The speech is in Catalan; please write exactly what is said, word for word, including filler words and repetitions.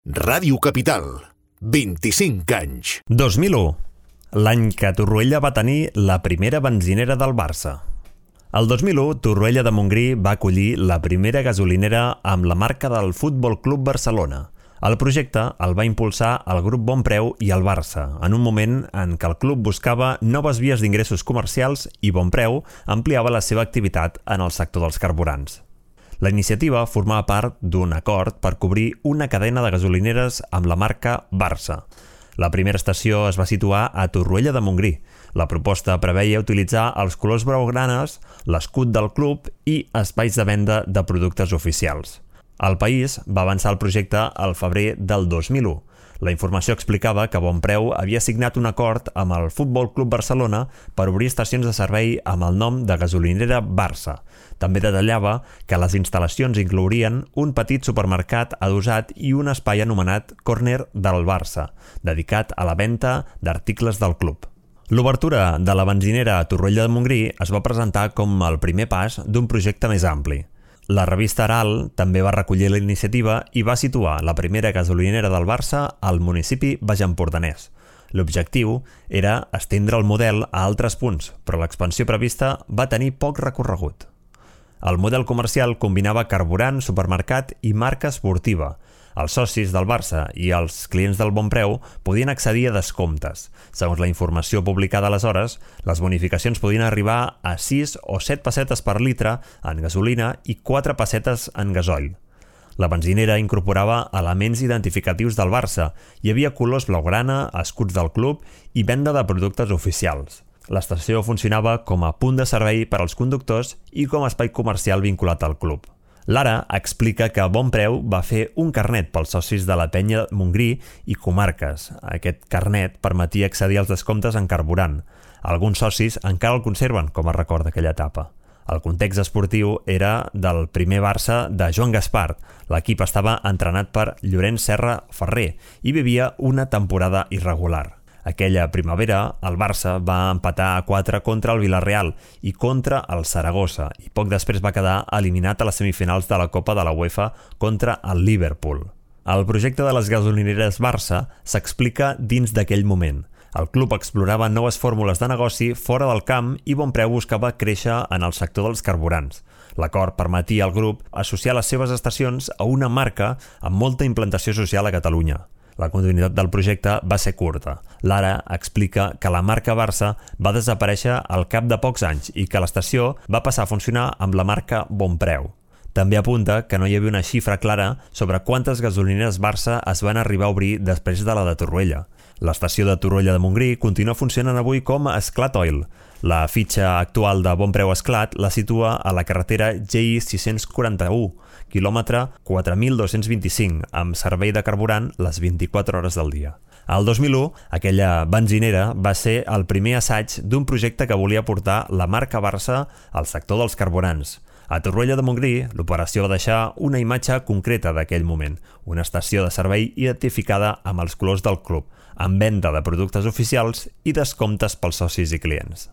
Ràdio Capital, vint-i-cinc anys. dos mil u, l'any que Torroella va tenir la primera benzinera del Barça. El dos mil u, Torroella de Montgrí va acollir la primera gasolinera amb la marca del Futbol Club Barcelona. El projecte el va impulsar el grup Bonpreu i el Barça, en un moment en què el club buscava noves vies d'ingressos comercials i Bonpreu ampliava la seva activitat en el sector dels carburants. La iniciativa formava part d'un acord per cobrir una cadena de gasolineres amb la marca Barça. La primera estació es va situar a Torroella de Montgrí. La proposta preveia utilitzar els colors blaugranes, l'escut del club i espais de venda de productes oficials. El País va avançar el projecte al febrer del dos mil u. La informació explicava que Bonpreu havia signat un acord amb el Futbol Club Barcelona per obrir estacions de servei amb el nom de gasolinera Barça. També detallava que les instal·lacions inclourien un petit supermercat adossat i un espai anomenat Corner del Barça, dedicat a la venda d'articles del club. L'obertura de la benzinera a Torroella de Montgrí es va presentar com el primer pas d'un projecte més ampli. La revista Aral també va recollir la iniciativa i va situar la primera gasolinera del Barça al municipi baixempordanès. L'objectiu era estendre el model a altres punts, però l'expansió prevista va tenir poc recorregut. El model comercial combinava carburant, supermercat i marca esportiva. Els socis del Barça i els clients del Bonpreu podien accedir a descomptes. Segons la informació publicada aleshores, les bonificacions podien arribar a sis o set pessetes per litre en gasolina i quatre pessetes en gasoil. La benzinera incorporava elements identificatius del Barça. Hi havia colors blaugrana, escuts del club i venda de productes oficials. L'estació funcionava com a punt de servei per als conductors i com a espai comercial vinculat al club. Lara explica que Bonpreu va fer un carnet pels socis de la penya Montgrí i comarques. Aquest carnet permetia accedir als descomptes en carburant. Alguns socis encara el conserven, com a record d'aquella etapa. El context esportiu era del primer Barça de Joan Gaspart. L'equip estava entrenat per Llorenç Serra Ferrer i vivia una temporada irregular. Aquella primavera, el Barça va empatar a quatre contra el Villarreal i contra el Saragossa i poc després va quedar eliminat a les semifinals de la Copa de la UEFA contra el Liverpool. El projecte de les gasolineres Barça s'explica dins d'aquell moment. El club explorava noves fórmules de negoci fora del camp i Bonpreu buscava créixer en el sector dels carburants. L'acord permetia al grup associar les seves estacions a una marca amb molta implantació social a Catalunya. La continuïtat del projecte va ser curta. Lara explica que la marca Barça va desaparèixer al cap de pocs anys i que l'estació va passar a funcionar amb la marca Bonpreu. També apunta que no hi havia una xifra clara sobre quantes gasolineres Barça es van arribar a obrir després de la de Torroella. L'estació de Torroella de Montgrí continua funcionant avui com a Esclat Oil. La fitxa actual de Bonpreu Esclat la situa a la carretera G I sis-cents quaranta-u, quilòmetre quatre mil dos-cents vint-i-cinc, amb servei de carburant les vint-i-quatre hores del dia. El dos mil u, aquella benzinera va ser el primer assaig d'un projecte que volia portar la marca Barça al sector dels carburants. A Torroella de Montgrí, l'operació va deixar una imatge concreta d'aquell moment, una estació de servei identificada amb els colors del club, amb venda de productes oficials i descomptes pels socis i clients.